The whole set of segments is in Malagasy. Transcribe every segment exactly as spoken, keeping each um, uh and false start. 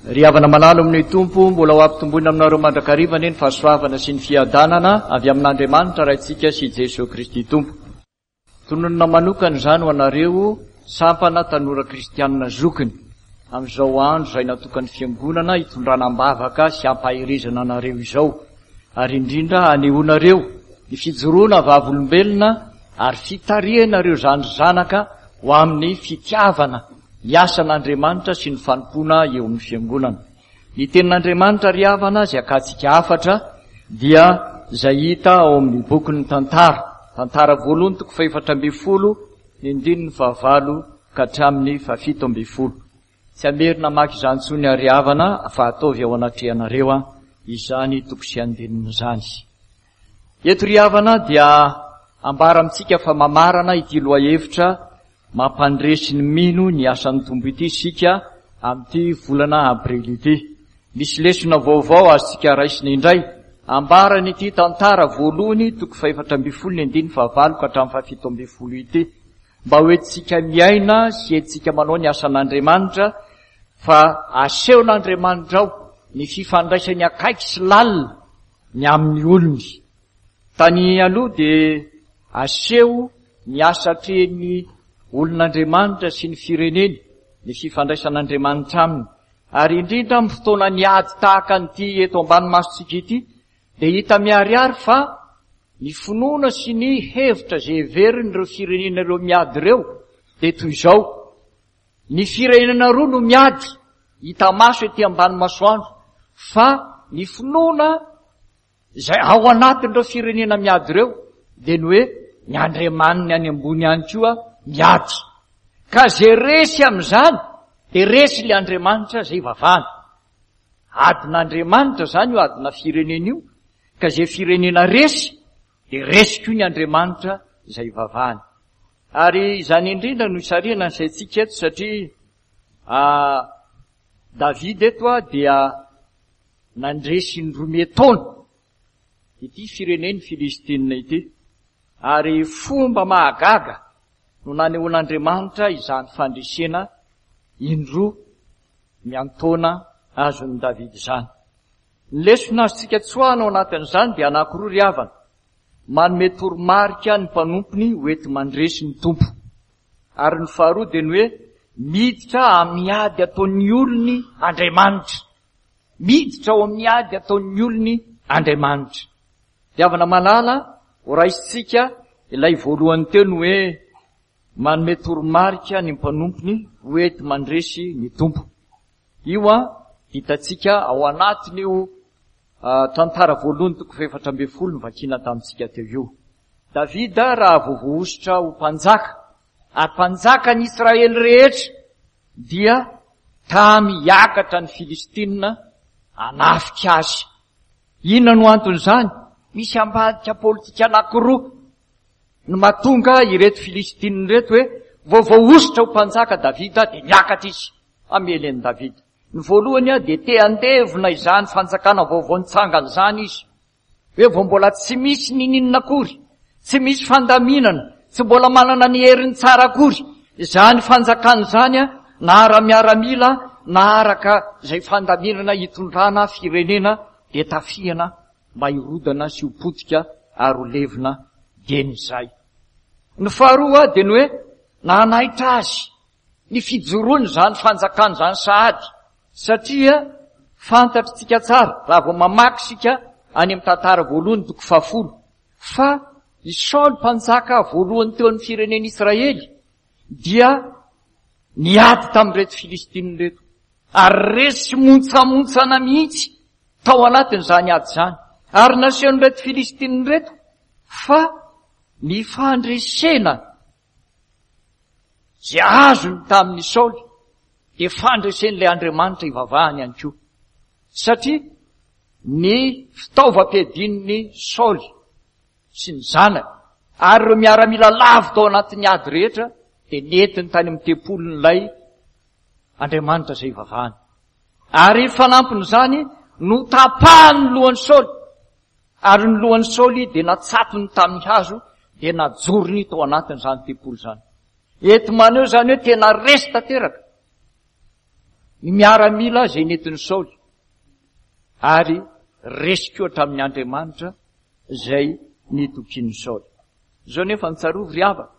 Ry havana malala amin'ny Tompo, mbola ho ampitomboina aminareo mandrakariva anie ny fahasoavana sy ny fiadanana avy amin'Andriamanitra Raintsika sy Jesoa Kristy Tompo. Tononina manokana izany ho anareo sampana tanora kristianina zokiny, amin'izao andro izay natokan'ny Fiangonana hitondrana am-bavaka sy hampaherezana anareo izao, ary indrindra hanehoanareo ny fijoroana vavolombelona ary fitarihanareo zandry zanaka ho amin'ny fitiavana ny asan'Andriamanitra sy ny fanompoana eo amin'ny Fiangonana. Ny tenin'Andriamanitra ry havana izay akantsika hafatra dia izay hita ao amin'ny bokin'ny Tantara, Tantara voalohany toko fahefatra ambin'ny folo, ny andininy fahavalo ka hatramin'ny fahafito ambin'ny folo. Tsy hamerina hamaky izany intsony aho ry havana fa ataovy ao anatrehanareo izany toko sy andininy izany. Eto ry havana dia ambara amintsika fa mamarana ity lohahevitra mampandresy ny mino ny asan'ny Tompo ity isika amin'ity volana aprily ity. Misy lesona vaovao azontsika raisina indray. Ambaran'ity tantara voalohany toko fahefatra ambin'ny folo ny andininy fahavalo ka hatramin'ny fahafito ambin'ny folo ity. Mba ho entintsika miaina sy entintsika manao ny asan'Andriamanitra fa asehon'Andriamanitra ao ny fifandraisany akaiky sy lalina ny amin'ny olony. Tany aloha dia aseho ny asa atrehin'ny olon'Andriamanitra sy ny fireneny, ny fifandraisan'Andriamanitra aminy. Ary indrindra amin'ny fotoana ny ady tahaka an'ity eto ambany masontsika ity, dia hita miharihary fa ny finoana sy ny hevitra izay heverin'ireo firenena ireo miady ireo dia toy izao. Ny firenena roa no miady, hita maso ety ambany masoandro, fa ny finoana izay ao anatin'ireo firenena miady ireo dia ny hoe ny andriamaniny any ambony ihany koa miady. Ka izay resy amin'izany dia resy ilay Andriamanitra izay ivavahana. Adin'Andriamanitra izany io adina firenena io, ka izay firenena resy dia resy koa ny Andriamanitra izay ivavahana. Ary izany indrindra no isarihana ny saintsika eto, satria David eto dia nandresy indroa taona ity firenen'ny Filistina ity. Ary fomba mahagaga no nanehoan'Andriamanitra izany fandresena indroa miantaona azon'i David izany. Ny lesona azontsika tsoahana ao anatin'izany dia anankiroa ry havana. Manome toromarika ny mpanompony ho enti-mandresy ny Tompo. Ary ny faharoa dia ny hoe miditra amin'ny ady ataon'ny olony Andriamanitra. Miditra ao amin'ny ady ataon'ny olony Andriamanitra. Ry havana malala, ho raisintsika ilay voalohany teo ny hoe manome toromarika ny mpanompony ho enti-mandresy ny Tompo. Io an, hitantsika ao anatin'io tantara voalohany toko fahefatra ambin'ny folo novakiana tamintsika teo io. Davida raha vao voahosotra ho mpanjaka, ary mpanjaka ny Israely rehetra, dia tamy hiakatra ny Filistina hanafika azy. Inona no anton'izany? Misy ambadika politika anankiroa no mahatonga ireto Filistina ireto hoe vao voahosotra ho mpanjaka Davida dia niakatra izy hamely an'i Davida. Ny voalohany dia te handevona izany fanjakana vaovao nitsangana izany izy. Hoe vao mbola tsy misy nininona akory, tsy misy fandaminana, tsy mbola manana ny heriny tsara akory izany fanjakana izany, na ara-miaramila na araka izay fandaminana hitondrana firenena dia tafihana mba hirodana sy ho potika ary ho levona dieny izay. Ny faharoa dia ny hoe nanaitra azy ny fijoroany izany fanjakana izany sahady, satria fantatritsika tsara raha vao mamaky isika any amin'ny tantara voalohany toko fahafolo fa i Saoly mpanjaka voalohany teo amin'ny firenena Israely dia niady tamin'ireto Filistina ireto ary resy montsamontsana mihitsy tao anatin'izany ady izany. Ary nasehon'ireto Filistina ireto fa ny fandresena izay azony tamin'i Saoly dia fandresen'ilay Andriamanitra ivavahany ihany koa, satria ny fitaovam-piadian'ny Saoly sy ny zanany ary ireo miaramila lavo tao anatin'ny ady rehetra dia nentiny tany amin'ny tempolin'ilay Andriamanitra izay ivavahany. Ary fanampin'izany notapahany ny lohan'i Saoly, ary ny lohan'i Saoly dia natsatony tamin'ny hazo dia najorony tao anatin'izany tempoly izany. Eto maneho izany hoe tena resy tanteraka ny miaramila izay nentin'i Saoly, ary resy koa hatramin'ny Andriamanitra izay nitokian'i Saoly. Izao nefa ny tsarovy ry havana,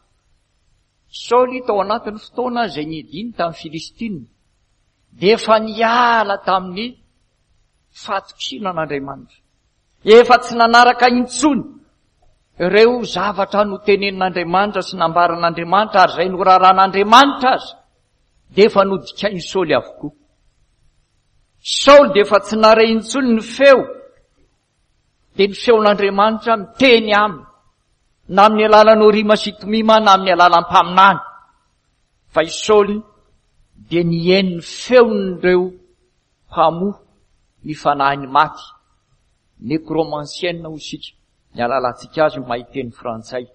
Saoly tao anatin'ny fotoana izay niadiany tamin'ny Filistina dia efa niala tamin'ny fatokiana an'Andriamanitra. Efa tsy nanaraka intsony ireo zavatra notenenin'Andriamanitra sy nambaran'Andriamanitra ary izay noraran'Andriamanitra aza dia efa nodikain'i Saoly avokoa. Saoly dia efa tsy nare intsony ny feo, dia ny feon'Andriamanitra miteny aminy, na amin'ny alalan'i Orima sy Tomima na amin'ny alalan'ny mpaminany. Fa i Saoly dia nihaino ny feon'ireo mpamoha ny fanahin'ny maty, nécromancienne hoy isika, ny alalantsika azy mahay teny frantsay.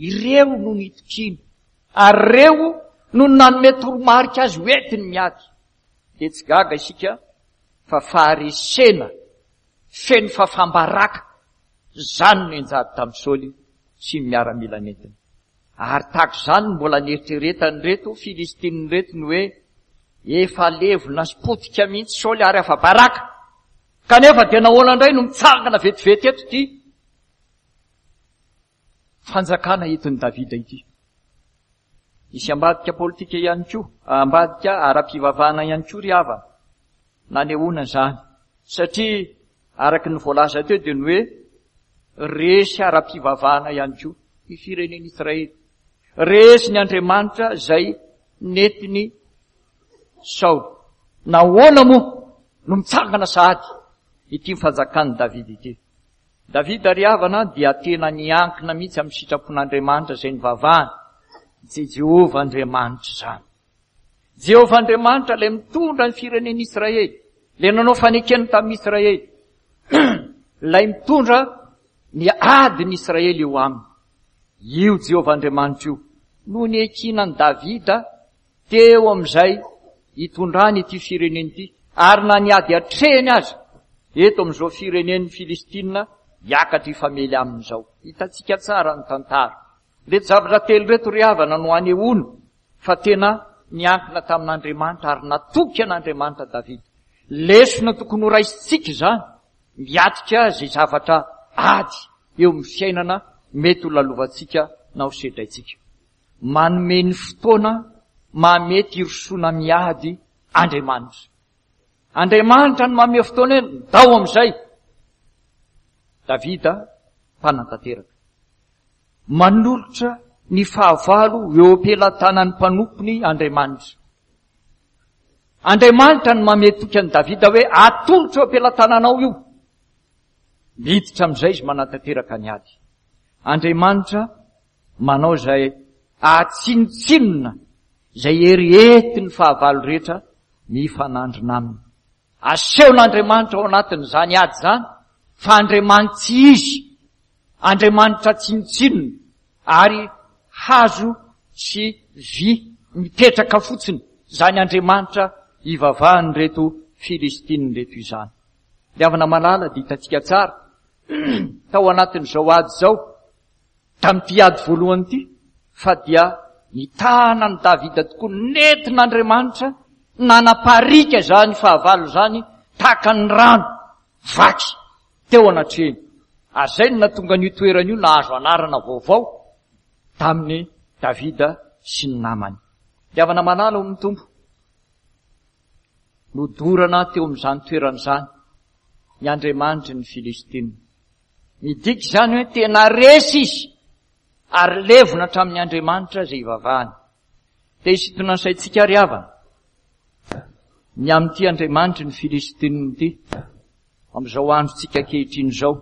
Ireo no nitokiany, ary ireo no nanome toromarika azy hoentiny miady. Dia tsy gaga isika fa faharesena feno fafambaraka izany no nianjady tamin'i Saoly sy ny miaramila nentiny. Ary tahaka izany no mbola nieritreretan'ireto Filistinina ireto ny hoe efa levona sy potika mihitsy Saoly ary afa-baraka. Kanefa dia nahoana indray no mitsangana vetivety eto ity fanjakana entin'i Davida ity? Misy ambadika politika ihany koa, ambadika ara-pivavahana ihany koa ry havana, nanehoana izany. Satria araka ny voalaza teo dia ny hoe resy ara-pivavahana ihany koa ny firenen'Israely. Resy ny Andriamanitra izay nentiny Saoly. Nahoana moa no mitsangana sahady ity fanjakan'i Davida ity? Davida ry havana dia tena niankina mihitsy amin'ny sitrapon'Andriamanitra izay nivavahany. Dia Jehovah Andriamanitra izany. Jehovah Andriamanitra ilay mitondra ny firenen'Israely, ilay nanao fanekena tamin'i Israely, ilay mitondra ny adin'i Israely eo aminy. Io Jehovah Andriamanitra io no nekinan'i Davida teo amin'izay hitondrany ity firenena ity, ary na ny ady atrehiny aza eto amin'izao firenen'ny Filistina hiakatra hifamely aminy izao. Hitantsika tsara ny tantara. Ireto zavatra telo ireto ry havana no anehoana fa tena niankina tamin'Andriamanitra ary natoky an'Andriamanitra Davida. Lesona tokony ho raisintsika izany, miatrika izay zavatra ady eo amin'ny fiainana mety ho lalovantsika na ho sedraintsika. Manome ny fotoana mahamety hirosoana miady Andriamanitra. Andriamanitra no manome fotoana hoe ndao amin'izay. Davida mpanatanteraka. Manolotra ny fahavalo eo am-pelatanan'ny mpanompony Andriamanitra. Andriamanitra no manome toky an'i Davida hoe atolotra eo am-pelatananao io. Miditra amin'izay izy manatanteraka ny ady. Andriamanitra manao izay ahatsinontsinona izay hery entin'ny fahavalo rehetra mifanandrina aminy. Asehon'Andriamanitra ao anatin'izany ady izany fa Andriamanitra tsy izy, Andriamanitra tsinontsinona ary hazo sy vy mipetraka fotsiny izany Andriamanitra ivavahan'ireto Filistinina ireto izany. Ry havana malala dia hitantsika tsara tao anatin'izao ady izao, tamin'ity ady voalohany ity, fa dia nitana an'i Davida tokoa, nentin'Andriamanitra nanapariaka izany fahavalo izany tahaka ny rano vaky teo anatrehiny. Ary izay no nahatonga an'io toerana io nahazo anarana vaovao tamin'i Davida sy ny namany. Ry havana malala ao amin'ny Tompo, nodorana teo amin'izany toerana izany ny Andriamanitry ny Filistina. Midika izany hoe tena resy izy ary levona hatramin'ny Andriamanitra izay ivavahany. Dia hisintona ny saintsika ry havana ny amin'ity Andriamanitry ny Filistina ity amin'izao androntsika ankehitriny izao.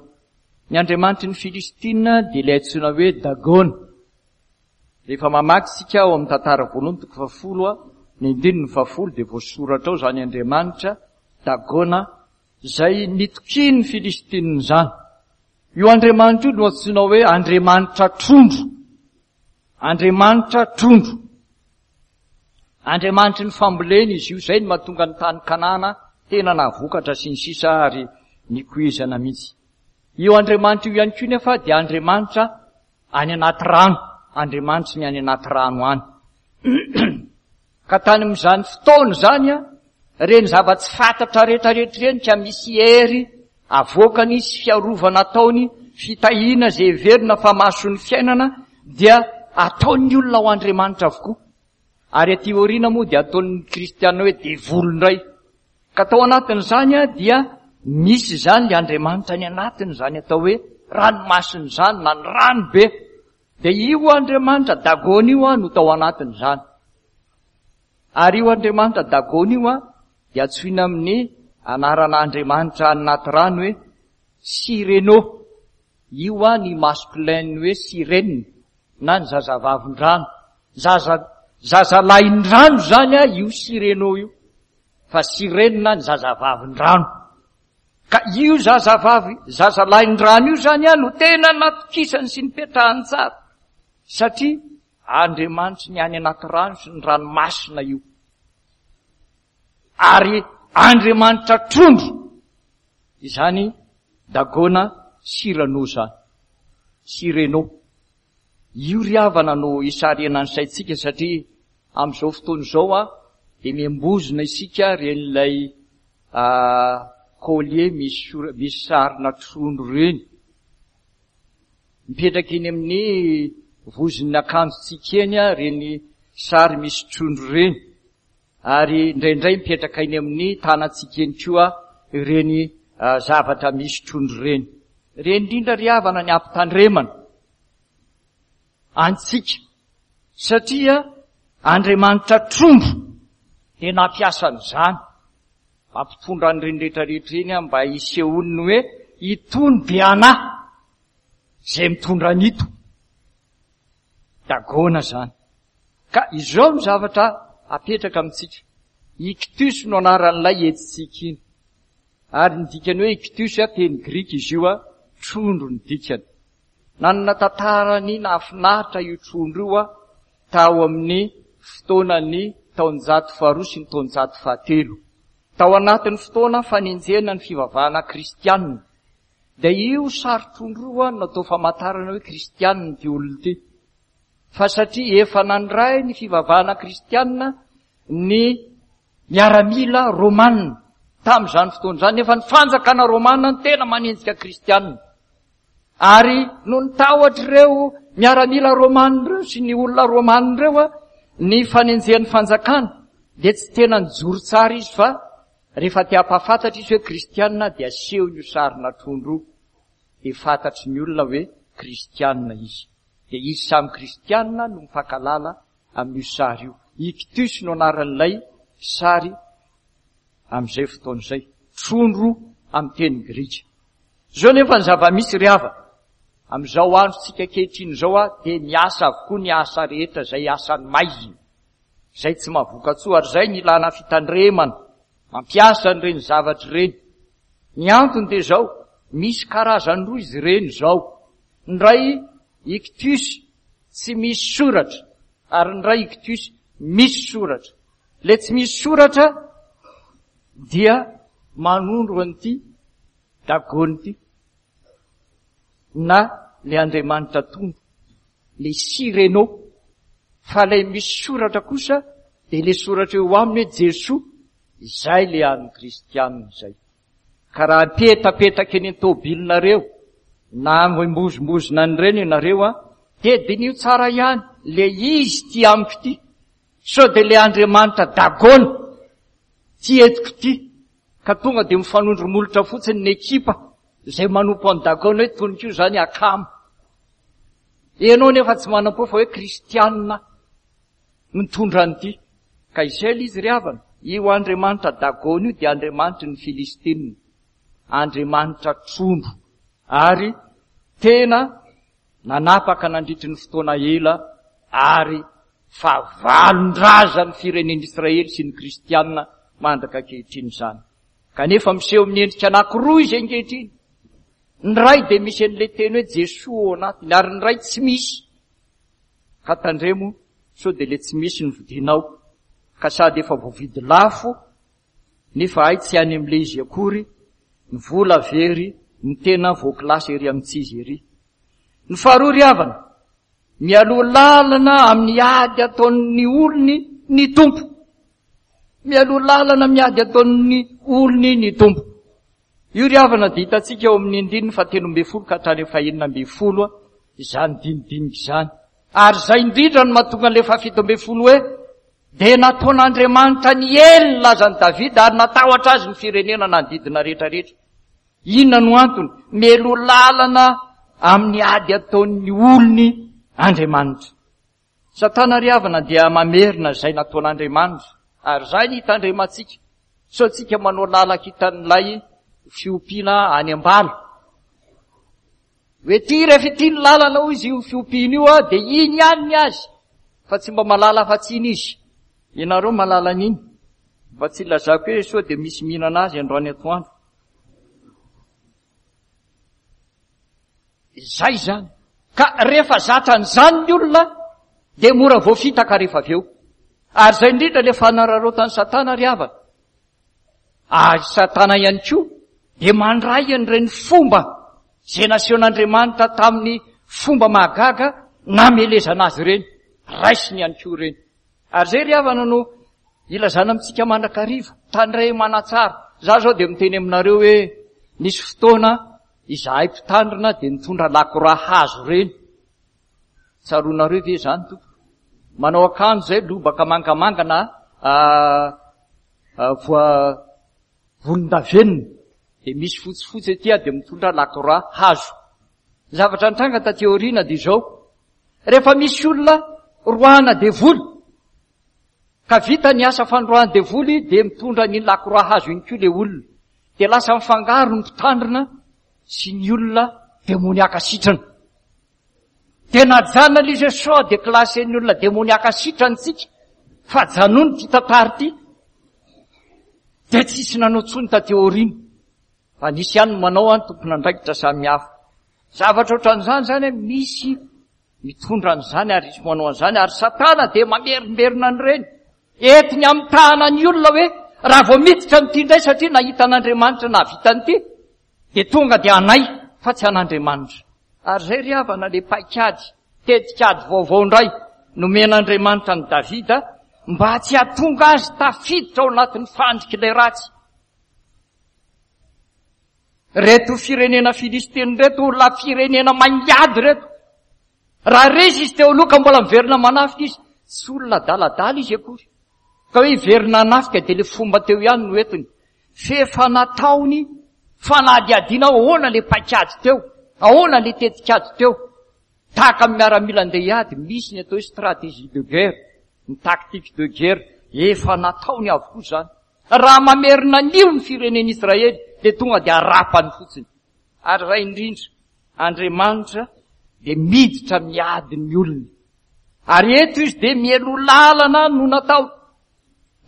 Ny Andriamanitry ny Filistina dia ilay antsoina hoe Dagona. Rehefa mamaky isika ao amin'ny tantara voalohany toko fahafolo ny andininy fahafolo dia voasoratra ao izany Andriamanitra Dagona izay nitokian'ny Filistinina izany. Io Andriamanitra io no antsoina hoe Andriamanitra trondro. Andriamanitra trondro. Andriamanitry ny fambolena izy io, izay no mahatonga ny tany Kanana tena nahavokatra sy ny sisa ary nikoizana mihitsy. Io Andriamanitra io ihany koa nefa dia Andriamanitra any anaty rano, Andriamanitry ny any anaty rano any. Ka tany amin'izany fotoana izany Ireny zava-tsy fantatra rehetrarehetra ireny ka misy hery avoakany sy fiarovana ataony, fitahiana izay heverina fa mahasoa ny fiainana dia ataon'ny olona ho Andriamanitra avokoa. Ary aty aoriana moa dia ataon'ny kristiana hoe devoly indray. Ka tao anatin'izany dia misy izany ilay Andriamanitra any anatiny izany atao hoe ranomasina izany na ny rano be. Dia io Andriamanitra Dagona io no tao anatin'izany. Ary io Andriamanitra Dagona io dia antsoina amin'ny anarana Andriamanitra any anaty rano hoe Sireno. Io ny masculin ny hoe sirène na ny zazavavin-drano. Zaza, zazalahin-drano izany io Sireno io. Fa sirène ny zazavavin-drano. Ka io zazavavy, zazalahin-drano io izany no tena natokisany sy nipetrahany tsara. Satria Andriamanitry ny any anaty rano sy ny ranomasina io. Ary Andriamanitra trondro izany Dagona Sirano izany. Sireno. Io ry havana no isarihana ny saintsika satria amin'izao fotoana izao a dia miambozona isika ren'ilay collier misy sora, misy sarina trondro ireny. Mipetraka eny amin'ny vozon'ny akanjontsika eny a reny sary misy trondro ireny. Ary indraindray mipetraka eny amin'ny tanantsika eny koa ireny zavatra misy trondro ireny. Ireny indrindra ry havana ny ampitandremana antsika satria Andriamanitra trondro dia nampiasa an'izany mampitondra an'ireny rehetrarehetra ireny mba hisehoany hoe itony dia anahy izay mitondra an'ito. Dagona izany. Ka izao no zavatra apetraka amintsika. Iktus no anaran'ilay hetsitsika iny. Ary ny dikany hoe iktus teny grika izy io, trondro ny dikany. Nanana tantarany nahafinaritra io trondro io tao amin'ny fotoanan'ny taonjato faharoa sy ny taonjato fahatelo. Tao anatin'ny fotoana fanenjehana ny fivavahana kristianina. Dia io sary trondro io no natao famantarana hoe kristianina ity olona ity. Fa satria efa nandray ny fivavahana kristianina ny miaramila romanina tamin'izany fotoana izany, nefa ny fanjakana romanina no tena manenjika kristianina. Ary noho ny tahotr'ireo miaramila romanina ireo sy ny olona romanina ireo ny fanenjehan'ny fanjakana, dia tsy tena nijoro tsara izy fa rehefa te hampahafantatra izy hoe kristianina dia asehony io sarina trondro io, dia fantatry ny olona hoe kristianina izy. Dia izy samy kristianina no mifankahalala amin'io sary io. Iktus no anaran'ilay sary amin'izay fotoana izay. Trondro amin'ny teny grika. Izao nefa ny zava-misy ry havana. Amin'izao androntsika ankehitriny izao dia miasa avokoa ny asa rehetra izay asan'ny maizina. Izay tsy mahavoka-tsoa ary izay ny ilàna fitandremana. Mampiasa an'ireny zavatra ireny. Ny antony dia izao, misy karazany roa izy ireny izao. Ny iray iktus tsy misy soratra ary ny iray iktus misy soratra. Ilay tsy misy soratra dia manondro an'ity Dagona ity na ilay Andriamanitra Tompo, ilay Sireno. Fa ilay misy soratra kosa dia ilay soratra eo aminy hoe Jesoa, izay ilay an'ny kristianina izay. Ka raha mipetapetaka eny an-tobilinareo na mimbozongozona an'ireny ianareo a, dia diniho tsara ihany ilay izy ity amiko ity, sao dia ilay Andriamanitra Dagona ty entiko ity, ka tonga dia mifanondro molotra fotsiny ny ekipa izay manompo an'i Dagona hoe tony koa izany akama. Ianao nefa tsy manam-po fa hoe kristianina mitondra an'ity. Ka izay ilay izy ry havana, io Andriamanitra Dagona io dia Andriamanitry ny Filistina, Andriamanitra trondro, ary tena nanapaka nandritry ny fotoana ela ary fahavalon-drazan'ny firenen'Israely sy ny kristianina mandraka ankehitriny izany. Kanefa miseho amin'ny endrika anankiroa izy ankehitriny. Ny iray dia misy an'ilay teny hoe Jesoa ao anatiny, ary ny iray tsy misy. Ka tandremo sao dia ilay tsy misy no vidinao, ka sady efa voavidy lafo, nefa hay tsy any amin'ilay izy akory, ny vola very, ny tena voakilasy ery amin'ny tsy izy ery. Ny faharoa ry havana, mialoha lalana amin'ny ady ataon'ny olony ny Tompo. Mialoha lalana miady ataon'ny olony ny Tompo. Io ry havana dia hitantsika ao amin'ny andininy fahatelo ambin'ny folo ka hatrany amin'ny fahenina ambin'ny folo izany dinidinika izany. Ary izay indrindra no mahatonga an'ilay fahafito ambin'ny folo hoe dia nataon'Andriamanitra niely ny lazan'i Davida ary natahotra azy ny firenena nanodidina rehetra rehetra. Inona no antony? Mialoha lalana amin'ny ady ataon'ny olony Andriamanitra. Satana ry havana dia mamerina izay nataon'Andriamanitra, ary izay ny hitandremantsika. Sao tsika manao lalan-kitan'ilay fiompiana any am-bala. Hoe ty rehefa ity ny lalana hoy izy io fiompiana io a, dia iny ihany ny azy, fa tsy mba mahalala afa-tsy iny izy. Ianareo mahalala an'iny. Mba tsy ilazako hoe sao dia misy mihinana azy androany atoandro. Izay izany. Ka rehefa zatra an'izany ny olona dia mora voafitaka rehefa avy eo. Ary izay indrindra ilay fanararaotan'i Satana ry havana. Ary Satana ihany koa dia mandray an'ireny fomba izay nasehon'Andriamanitra tamin'ny fomba mahagaga namelezana azy ireny. Raisiny ihany koa ireny. Ary izay ry havana no ilazana amintsika mandrakariva, tandremana tsara. Izaho izao dia miteny aminareo hoe nisy fotoana izahay mpitandrina dia nitondra lakroa hazo ireny. Tsaroanareo ve izany tompoko? Manao akanjo izay lobaka mangamanga na voa volondavenona, dia misy fotsifotsy aty dia mitondra lakroa hazo. Ny zavatra nitranga taty aoriana dia izao, rehefa misy olona roahana devoly, ka vita ny asa fandroahana devoly dia mitondra ny lakroa hazo iny koa ilay olona. Dia lasa mifangaro ny mpitandrina sy ny olona demoniaka sitrana. Dia najanona ilay izy hoe sao dia classe-n'ny olona demoniaka sitrana isika, fa janony ity tantara ity. Dia tsisy nanao intsony taty aoriana. Fa nisy ihany ny manao an, tompon'andraikitra samihafa. Zavatra ohatran'izany izany an, misy mitondra an'izany ary misy manao an'izany, ary Satana dia mamerimberina an'ireny. Entiny hamitahana ny olona hoe raha vao miditra amin'ity indray satria nahita an'Andriamanitra nahavita an'ity, dia tonga dia anay fa tsy an'Andriamanitra. Ary izay ry havana ilay paikady, tetikady vaovao indray nomen'Andriamanitra an'i Davida mba tsy hahatonga azy tafiditra ao anatin'ny fandrik'ilay ratsy. Reto firenena Filistina ireto olona firenena mangiady ireto. Raha resy izy teo aloha ka mbola miverina manafika izy, tsy olona adaladala izy akory. Ka hoe hiverina hanafika dia ilay fomba teo ihany no entiny. F'efa nataony fanadihadiana ahoana ilay paikady teo, ahoana ilay tetikady teo. Tahaka ny miaramila andeha hiady, misy ny atao hoe stratégie de guerre, ny tactique de guerre, efa nataony avokoa izany. Raha mamerina an'io ny firenen'Israely dia tonga dia arapany fotsiny. Ary raha indrindra, Andriamanitra dia miditra miady ny olony. Ary eto izy dia mialoha lalana no natao.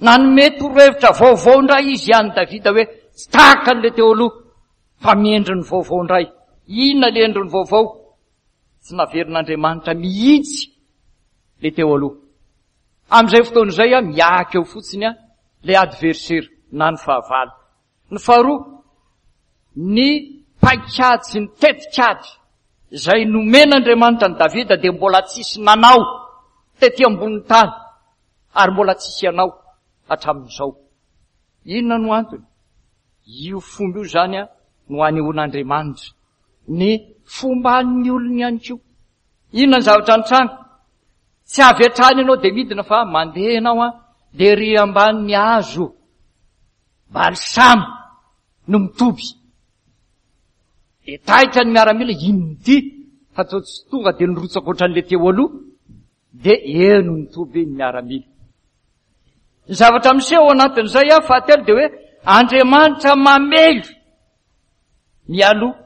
Nanome torohevitra vaovao indray izy an'i Davida hoe tsy tahaka an'ilay teo aloha fa miendriny vaovao indray. Inona ilay endriny vaovao? Tsy naverin'Andriamanitra mihitsy ilay teo aloha. Amin'izay fotoana izay, miahaka eo fotsiny ilay adversaire na ny fahavalo. Ny faharoa, ny paikady sy ny tetikady izay nomen'Andriamanitra an'i Davida dia mbola tsisy nanao tety ambonin'ny tany ary mbola tsisy hanao hatramin'izao. Inona no antony? Io fomba io izany no anehoan'Andriamanitra ny fomban'ny olony ihany koa. Inona ny zavatra nitranga? Tsy avy hatrany ianao dia midina fa mandeha ianao an, dia ery ambanin'ny hazo balsama no mitoby. Dia taitra ny miaramila, inona ity? Fa toa tsy tonga dia nirotsaka ohatran'ilay teo aloha, dia eo no nitoby ny miaramila. Ny zavatra miseho ao anatin'izay an, fahatelo dia hoe Andriamanitra mamely mialoha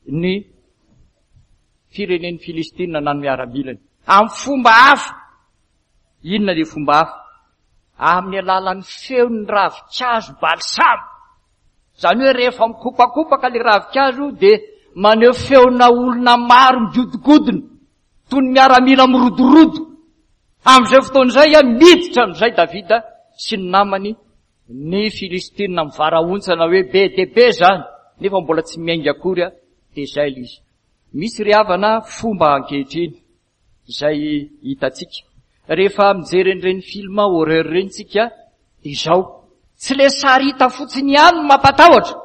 ny firenen'ny Filistina na ny miaramilany. Amin'ny fomba hafa. Inona ilay fomba hafa? Amin'ny alalan'ny feon'ny ravinkazo balsama. Izany hoe rehefa mikopakopaka ilay ravinkazo dia maneho feona olona maro migodogodona, toy ny miaramila mirodorodo. Amin'izay fotoana izay, miditra amin'izay Davida sy ny namany ny Filistina mivarahontsana hoe be dia be izany, nefa mbola tsy miainga akory dia izay ilay izy. Misy ry havana fomba ankehitriny izay hitantsika. Rehefa mijery an'ireny film horreur ireny tsika Izao, tsy le sary hita fotsiny ihany no mampatahotra,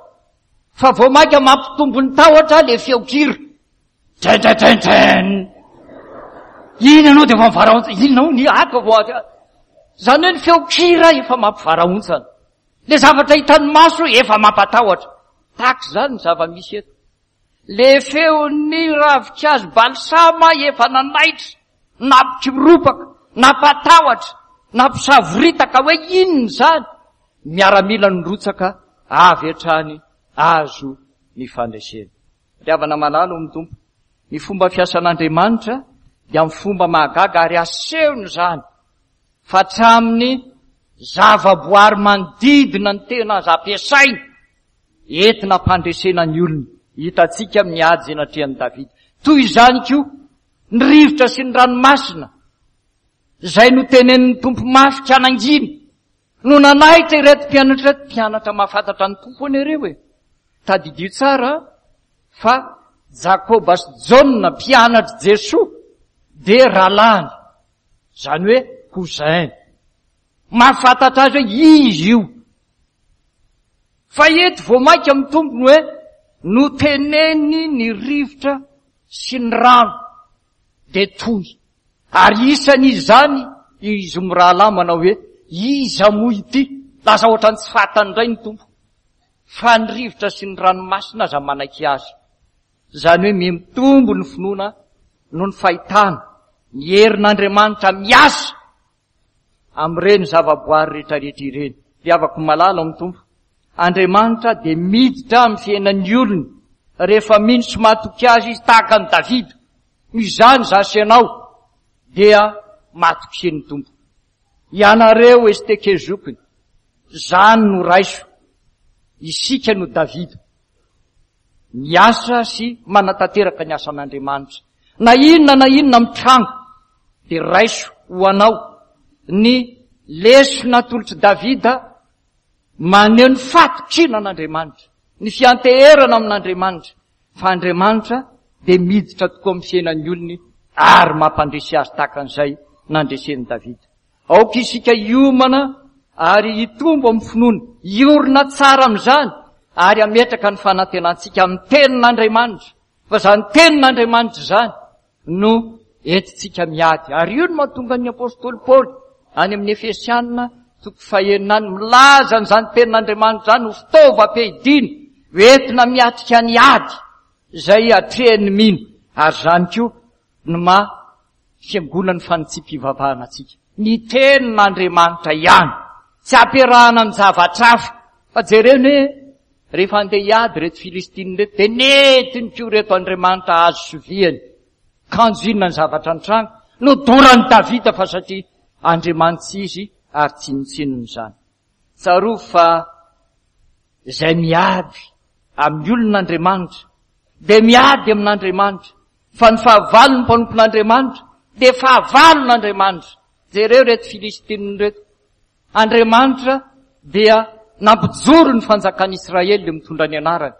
fa vao mainka mampitombo ny tahotra le feon-kira. Dren-dren-dren-dren! Iny ianao dia efa mivarahontsana. Inona hono io? Ato vao ato. Izany hoe ny feon-kira efa mampivarahontsana. Le zavatra hitan'ny maso efa mampatahotra. Tahaka izany ny zava-misy eto. Le feon'ny ravinkazo balsama efa nanaitra, nampikiropaka, nampatahotra, nampisavoritaka hoe inona izany? Miaramila nirotsaka avy hatrany azo ny fandresena. Ry havana malala ao amin'ny Tompo, ny fomba fiasan'Andriamanitra dia amin'ny fomba mahagaga ary asehony izany fa hatramin'ny zavaboary manodidina ny tena aza ampiasainy entina hampandresena ny olony. Hitantsika amin'ny ady izay natrehan'i Davida. Toy izany koa ny rivotra sy ny ranomasina izay notenenin'ny Tompo mafy ka nangina no nanaitra ireto mpianatra ireto. Mpianatra mahafantatra ny Tompo anie ireo e. Tadidio tsara fa Jakoba sy Jaona mpianatr'i Jesoa dia rahalahiny, izany hoe cousin. Mahafantatra azy hoe izy io. Fa eto vao mainka mitombo ny hoe noteneniny ny rivotra sy ny rano dia tony. Ary isan'izany izy mirahalahy manao hoe iza moa ity? Lasa ohatran'ny tsy fantany indray ny Tompo. Fa ny rivotra sy ny ranomasina aza manaiky azy. Izany hoe mitombo ny finoana noho ny fahitana ny herin'Andriamanitra miasa amin'ireny zavaboary rehetrarehetra ireny. Ry havako malala ao amin'ny Tompo, Andriamanitra dia miditra amin'ny fiainan'ny olony rehefa mino sy matoky azy izy tahaka an'i Davida. Noho izany izaho sy ianao dia matokia ny Tompo. Ianareo S T K zokiny, izany no raiso. Isika no Davida. Miasa sy manatanteraka ny asan'Andriamanitra. Na inona na inona mitranga, dia raiso ho anao ny lesona atolotr'i Davida maneho ny fatokiana an'Andriamanitra, ny fianteherana amin'Andriamanitra, fa Andriamanitra dia miditra tokoa amin'ny fiainan'ny olony ary mampandresy azy tahaka an'izay nandresen'i Davida. Aoka isika hiomana ary hitombo amin'ny finoana, hiorina tsara amin'izany ary hametraka ny fanantenantsika amin'ny tenin'Andriamanitra, fa izany tenin'Andriamanitra izany no entintsika miady. Ary io no mahatonga ny apostoly Paoly any amin'ny Efesianina toko fahenina any milaza an'izany tenin'Andriamanitra izany ho fitaovam-piadiana hoentina miatrika ny ady izay atrehin'ny mino. Ary izany koa no maha fiangonan'ny fanitsiam-pivavahana antsika. Ny tenin'Andriamanitra ihany, tsy ampiarahana amin'ny zavatra hafa. Fa jereo ny hoe rehefa handeha hiady ireto Filistina ireto dia nentiny koa ireto Andriamanitra azo soviany. Kanjo inona ny zavatra nitranga? Nodoran'i Davida fa satria Andriamanitra izy ary tsinontsinona izany. Tsarovy fa izay miady amin'ny olon'Andriamanitra dia miady amin'Andriamanitra, fa ny fahavalon'ny mpanompon'Andriamanitra dia fahavalon'Andriamanitra. Jereo ireto Filistina ireto. Andriamanitra dia nampijoro ny fanjakan'Israely dia mitondra ny anarany.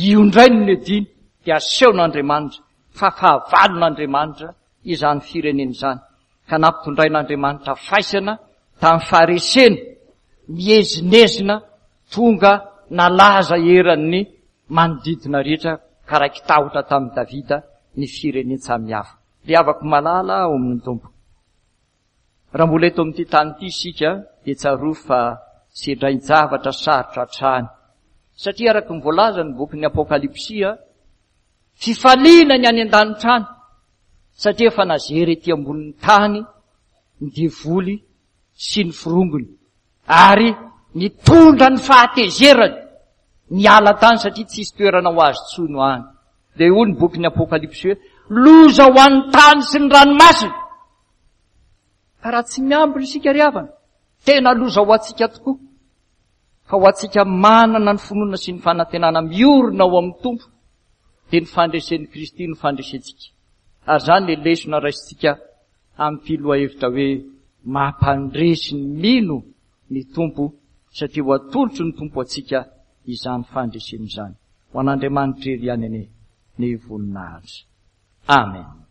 Io indray no nodiny dia asehon'Andriamanitra fa fahavalon'Andriamanitra izany firenena izany, ka nampitondrain'Andriamanitra faisana tamin'ny faharesena miezinezina tonga nalaza eran'ny manodidina rehetra ka raiki-tahotra tamin'i Davida ny firenen-tsamihafa. Ry havako malala ao amin'ny Tompo, raha mbola eto amin'ity tany ity isika dia tsarovy fa sedrain-javatra sarotra hatrany, satria araka ny voalazan'ny bokin'ny Apokalypsy, fifaliana ny any an-danitra any, satria efa nazery ety ambonin'ny tany ny devoly sy ny forongony, ary nitondra ny fahatezerany niala tany satria tsisy toerana ho azy intsony ho any. Dia hoy ny bokin'ny Apokalypsy hoe loza ho an'ny tany sy ny ranomasina. Ka raha tsy miambina isika ry havana, tena loza ho antsika tokoa. Fa ho antsika manana ny finoana sy ny fanantenana miorina ao amin'ny Tompo, dia ny fandresen'i Kristy no fandresentsika. Ary izany ilay lesona raisintsika amin'ity lohahevitra hoe mampandresy ny mino ny Tompo, satria ho atolotry ny Tompo antsika izany fandresena izany. Ho an'Andriamanitra irery ihany anie ny voninahitra. Amen.